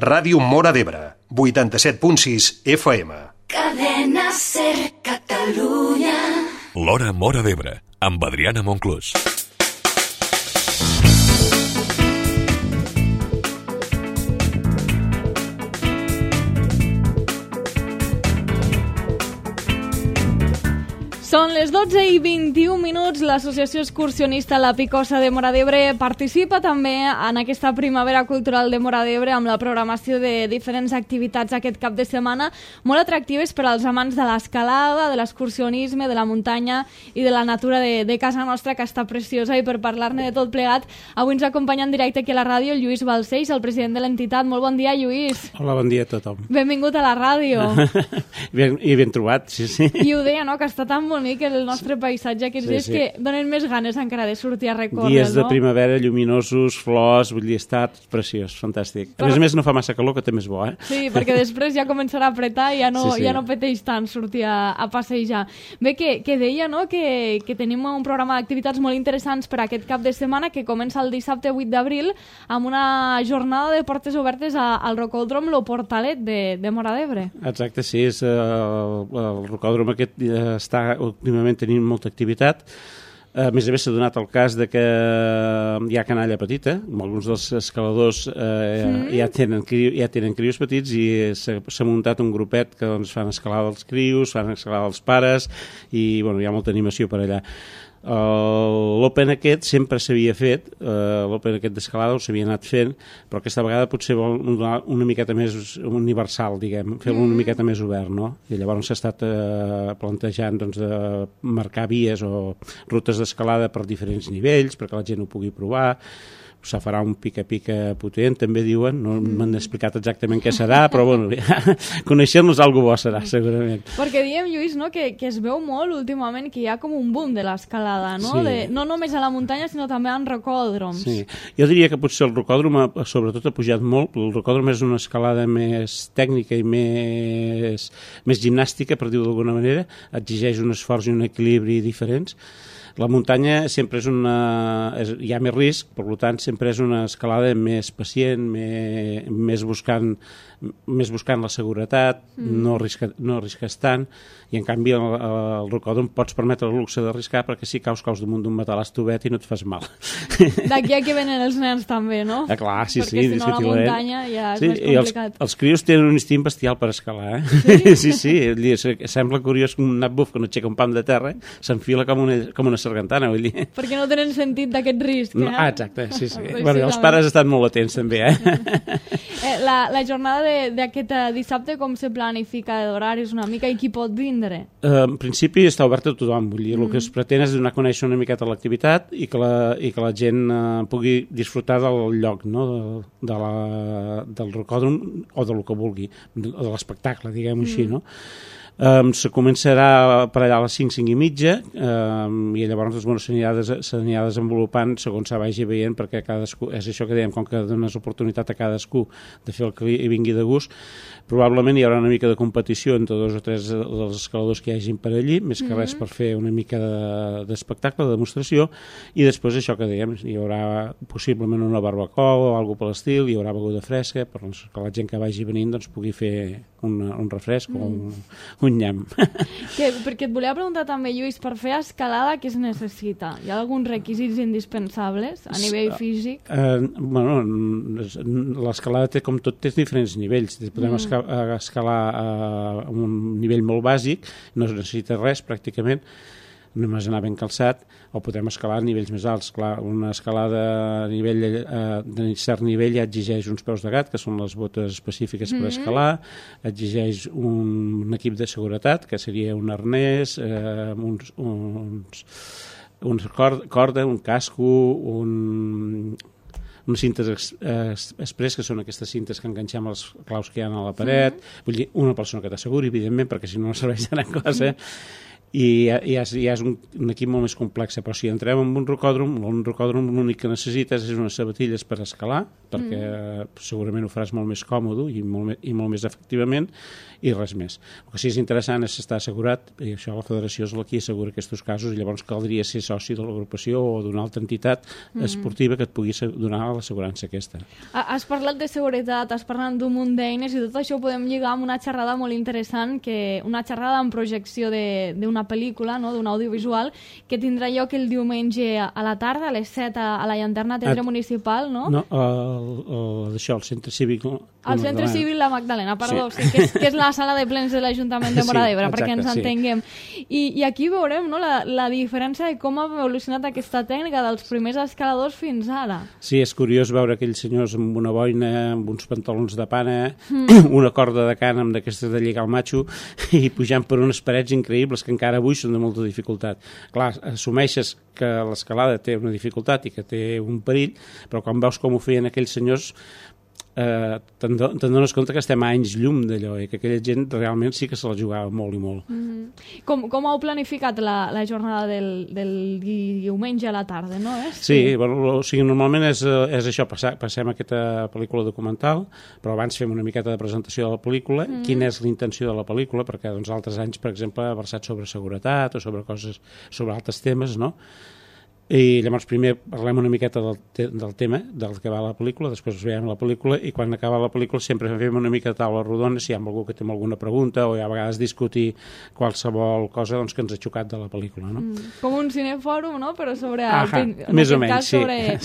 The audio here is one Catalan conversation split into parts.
Ràdio Móra d'Ebre, 87.6 FM. Cadena Ser Catalunya. L'Hora Móra d'Ebre, amb Adriana Monclús. Són les 12:21, l'associació excursionista La Picosa de Móra d'Ebre participa també en aquesta primavera cultural de Móra d'Ebre amb la programació de diferents activitats aquest cap de setmana, molt atractives per als amants de l'escalada, de l'excursionisme, de la muntanya i de la natura de casa nostra, que està preciosa. I per parlar-ne de tot plegat, avui ens acompanya en directe aquí a la ràdio el Lluís Balcells, el president de l'entitat. Molt bon dia, Lluís. Hola, bon dia a tothom. Benvingut a la ràdio. Ben trobat, sí. I ho deia, no?, que està tan bonic el nostre paisatge aquests dies que donen més ganes encara de sortir a recórrer, dies de primavera lluminosos, flors, vull dir, està preciós, fantàstic. A més no fa massa calor, que també és bo, eh? Sí, perquè després ja començarà a apretar i ja no pateix tant sortir a passejar. Bé, que deia, no?, que tenim un programa d'activitats molt interessants per aquest cap de setmana que comença el dissabte 8 d'abril amb una jornada de portes obertes al Rocòdrom Lo Portalet de Móra d'Ebre. Exacte, sí, és el rocòdrom aquest està últimament tenint molta activitat. A més s'ha donat el cas de que hi ha canalla petita, alguns dels escaladors ja tenen crios petits i s'ha muntat un grupet que doncs, fan escalada dels crios, fan escalada dels pares i bueno, hi ha molta animació per allà. L'Open aquest sempre s'havia fet, l'Open aquest d'escalada ho s'havia anat fent, però aquesta vegada potser vol una miqueta més universal, diguem, fer-lo una miqueta més obert, no? I llavors s'ha estat plantejant doncs, de marcar vies o rutes d'escalada per diferents nivells, perquè la gent ho pugui provar. Se farà un pica-pica potent, també diuen, no m'han explicat exactament què serà, però bueno, coneixent-los alguna bo serà, segurament. Perquè diem, Lluís, no, que es veu molt últimament que hi ha com un boom de l'escalada, no? Sí. No només a la muntanya, sinó també en rocòdroms. Sí. Jo diria que potser el rocòdrom sobretot ha pujat molt, el rocòdrom és una escalada més tècnica i més gimnàstica, per dir-ho d'alguna manera, exigeix un esforç i un equilibri diferents. La muntanya sempre hi ha més risc, per tant sempre és una escalada més pacient, més buscant la seguretat, no arrisques tant, i en canvi el rocòdrom pots permetre el luxe d'arriscar perquè si caus damunt d'un matalàs tovet i no et fas mal. D'aquí a que venen els nens també, no? Clar, sí, perquè si no la muntanya ja és més complicat. Els crios tenen un instint bestial per escalar, eh? Sí. Sembla curiós que un nat buf que no aixeca un pam de terra s'enfila com una sargantana, vull dir. Perquè no tenen sentit d'aquest risc, eh? Exacte, sí. Bueno, els pares estan molt atents també, eh? La jornada d'aquest dissabte com se planifica d'horaris una mica i qui pot vindre? En principi està obert a tothom, vull dir, el que es pretén és donar a conèixer una miqueta l'activitat i que la gent pugui disfrutar del lloc, no? Del rocòdrom o del que vulgui, de l'espectacle, diguem-ho així, no? Se començarà per allà a les 5 i mitja i llavors s'anirà desenvolupant segons se vagi veient, perquè cadascú, és això que dèiem, com que dones oportunitat a cadascú de fer el que li vingui de gust, probablement hi haurà una mica de competició entre 2 o 3 dels escaladors que hi hagin per allí, més que res per fer una mica d'espectacle, de demostració, i després això que dèiem, hi haurà possiblement una barbacoa o alguna per l'estil, hi haurà beguda fresca que la gent que vagi venint doncs, pugui fer un refresc o un nyam. Perquè et volia preguntar també, Lluís, per fer escalada què es necessita? Hi ha alguns requisits indispensables a nivell físic? Bueno, l'escalada té, com tot, té diferents nivells. Podem escalar a un nivell molt bàsic, no es necessita res pràcticament, només anar ben calçat, o podem escalar a nivells més alts. Clar, una escalada de cert nivell ja exigeix uns peus de gat, que són les botes específiques per escalar, exigeix un equip de seguretat, que seria un arnès, corda, un casco, unes cintes express, que són aquestes cintes que enganxem els claus que hi ha a la paret, vull dir, una persona que t'asseguri, evidentment, perquè si no serveix de gran cosa, i ja és un equip molt més complex, però si entrem en un rocòdrom l'únic que necessites és unes sabatilles per escalar, perquè segurament ho faràs molt més còmode i molt més efectivament, i res més. El que sí és interessant és estar assegurat, i això la federació és la que assegura aquests casos, i llavors caldria ser soci de l'agrupació o d'una altra entitat esportiva que et pugui donar l'assegurança aquesta. Has parlat de seguretat, has parlat d'un munt d'eines, i tot això ho podem lligar amb una xerrada molt interessant, una xerrada en projecció d'una pel·lícula, no? D'un audiovisual, que tindrà lloc el diumenge a la tarda, a les 7 a la Llanterna Teatre Municipal, no? No, el Centre Cívic... El Centre Cívic La Magdalena, perdó, sí, que és la sala de plens de l'Ajuntament de Móra d'Ebre, perquè ens entenguem. I aquí veurem, no, la diferència de com ha evolucionat aquesta tècnica dels primers escaladors fins ara. Sí, és curiós veure aquells senyors amb una boina, amb uns pantalons de pana, una corda de cànem d'aquestes de lligar el matxo, i pujant per unes parets increïbles que encara avui són de molta dificultat. Clar, assumeixes que l'escalada té una dificultat i que té un perill, però quan veus com ho feien aquells senyors te'n dones compte que estem a anys llum d'allò, i que aquella gent realment sí que se la jugava molt i molt. Com heu planificat la jornada del diumenge a la tarda, no? Sí, bueno, o sigui, normalment és això, passem aquesta pel·lícula documental, però abans fem una miqueta de presentació de la pel·lícula, quina és l'intenció de la pel·lícula, perquè doncs, altres anys, per exemple, ha versat sobre seguretat o sobre coses, sobre altres temes, no? I llavors primer parlem una miqueta del tema, del que va la pel·lícula, després veiem la pel·lícula, i quan acaba la pel·lícula sempre fem una mica de taula rodona si hi ha algú que té alguna pregunta, o a vegades discutir qualsevol cosa doncs, que ens ha xocat de la pel·lícula, no? Com un cinefòrum, no? Però sobre més o menys,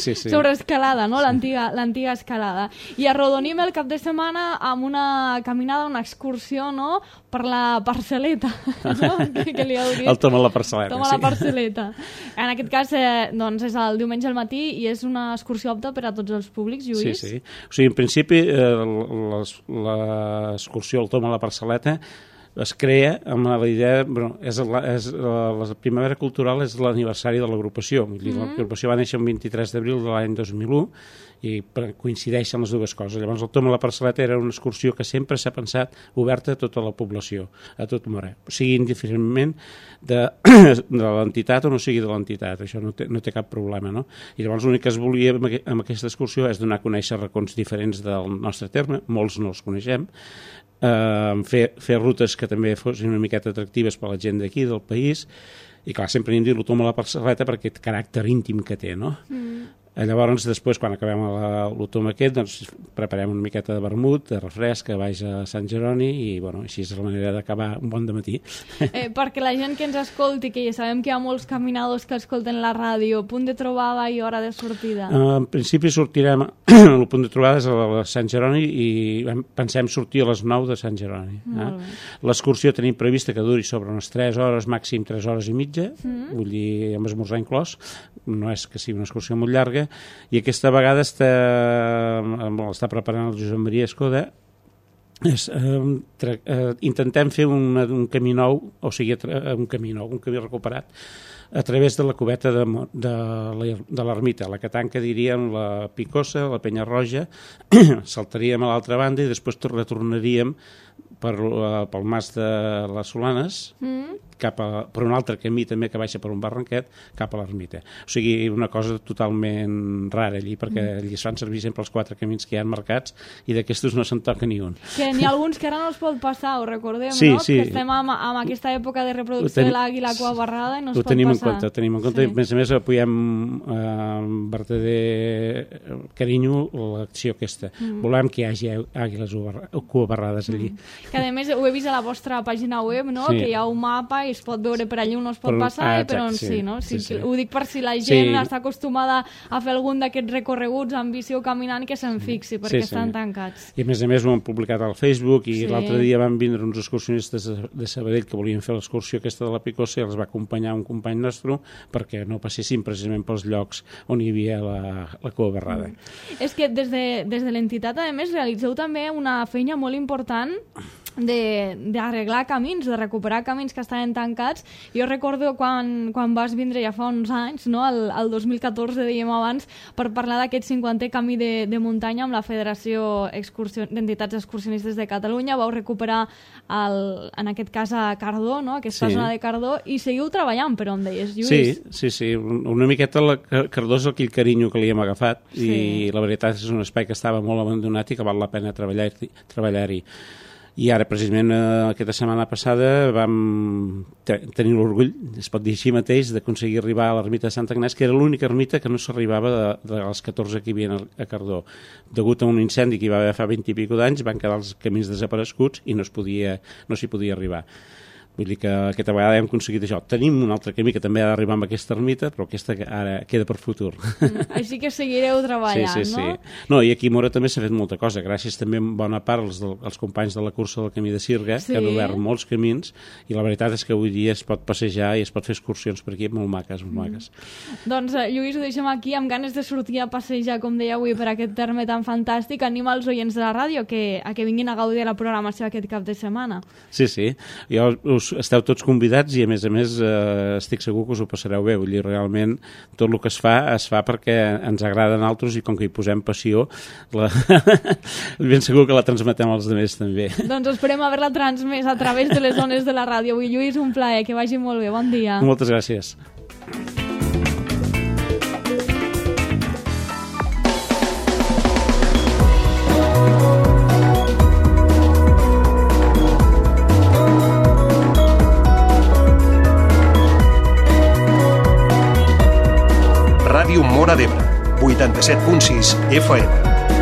sí. Sobre escalada, no? L'antiga escalada. I arrodonim el cap de setmana amb una caminada, una excursió, no? Per la parcel·leta, no? Que li heu dit. El Toma la parcel·leta. Toma la parcel·leta. En aquest cas, doncs és el diumenge al matí i és una excursió apta per a tots els públics, Lluís? Sí. O sigui, en principi, l'excursió al Toma la parcel·leta es crea amb la idea... Bueno, la Primavera Cultural és l'aniversari de l'agrupació. L'agrupació va néixer el 23 d'abril de l'any 2001 i coincideixen les dues coses. Llavors el Toma la parcel·leta era una excursió que sempre s'ha pensat oberta a tota la població, a tot Móra, o sigui indiferentment de l'entitat o no sigui de l'entitat, això no té cap problema, no? I llavors l'únic que es volia amb aquesta excursió és donar a conèixer racons diferents del nostre terme, molts no els coneixem, fer rutes que també fossin una miqueta atractives per a la gent d'aquí, del país, i clar, sempre hem dit el Toma la parcel·leta per aquest caràcter íntim que té, no? Llavors, després, quan acabem l'Otoma aquest, doncs, preparem una miqueta de vermut, de refresc, que vaig a Sant Jeroni, i bueno, així és la manera d'acabar un bon dematí. Perquè la gent que ens escolti, que ja sabem que hi ha molts caminadors que escolten la ràdio, punt de trobada i hora de sortida? En principi sortirem, el punt de trobada és a Sant Jeroni, i pensem sortir a les 9 de Sant Jeroni. L'excursió tenim prevista que duri sobre unes 3 hores, màxim 3 hores i mitja, vull dir, amb esmorzar inclòs, no és que sigui una excursió molt llarga, i aquesta vegada està preparant el Josep Maria Escoda. Intentem fer un camí nou, o sigui, un camí recuperat, a través de la cubeta de l'ermita, la que tanca, diríem, la Picosa, la Penya Roja, saltaríem a l'altra banda i després retornaríem pel mas de les Solanes, per un altre camí també que baixa per un barranquet cap a l'ermita. O sigui, una cosa totalment rara allí, perquè allí es fan servir sempre els 4 camins que hi ha marcats i d'aquestos no se'n toca ni un. Que n'hi ha alguns que ara no es pot passar, ho recordem, sí, no? Sí. Que estem amb aquesta època de reproducció de l'àguila cua barrada i no es pot passar. Ho tenim en compte. Sí. A més apoyem amb verdader carinyo l'acció aquesta. Volem que hi hagi àguiles cua barrades allí. Que a més ho he vist a la vostra pàgina web, no? Que hi ha un mapa i es pot veure per allí on no es pot passar i per on sí, no? Sí. Ho dic per si la gent està acostumada a fer algun d'aquests recorreguts amb bici o caminant que se'n fixi, perquè estan tancats. I a més ho han publicat al Facebook i l'altre dia van vindre uns excursionistes de Sabadell que volien fer l'excursió aquesta de la Picosa i els va acompanyar un company nostre perquè no passessin precisament pels llocs on hi havia la cua barrada. És que des de l'entitat, a més, realitzeu també una feina molt important d'arreglar camins, de recuperar camins que estaven tancats. Jo recordo quan vas vindre ja fa uns anys, no? el 2014, dèiem abans, per parlar d'aquest 50è camí de muntanya amb la Federació d'Entitats Excursionistes de Catalunya. Vau recuperar, en aquest cas, a Cardó, no? Aquesta zona de Cardó, i seguiu treballant, però em deies, Lluís. Sí. Una miqueta Cardó és aquell carinyo que li hem agafat, i la veritat és un espai que estava molt abandonat i que val la pena treballar-hi. I ara, precisament, aquesta setmana passada vam tenir l'orgull, es pot dir així mateix, d'aconseguir arribar a l'ermita de Sant Agnès, que era l'única ermita que no s'arribava de les 14 que hi havia a Cardó. Degut a un incendi que hi va haver fa 20 i pico d'anys, van quedar els camins desapareguts i no s'hi podia arribar. Vull dir que aquesta vegada hem aconseguit això. Tenim un altre camí que també ha d'arribar amb aquesta ermita, però aquesta ara queda per futur. Així que seguireu treballant, no? Sí. No, i aquí a Móra també s'ha fet molta cosa, gràcies també en bona part als companys de la cursa del Camí de Sirga, que han obert molts camins, i la veritat és que avui dia es pot passejar i es pot fer excursions per aquí molt maques, molt maques. Doncs, Lluís, ho deixem aquí, amb ganes de sortir a passejar, com deia avui, per aquest terme tan fantàstic. Anima els oients de la ràdio a que vinguin a gaudir la programació aquest cap de setmana. Sí. Jo esteu tots convidats i a més estic segur que us ho passareu bé. Vull dir, realment tot el que es fa perquè ens agrada a nosaltres, i com que hi posem passió ben segur que la transmetem als altres també. Doncs esperem haver-la transmès a través de les ones de la ràdio. Avui, Lluís, un plaer, que vagi molt bé, bon dia. Moltes gràcies. Ràdio Móra d'Ebre, 87.6 FM.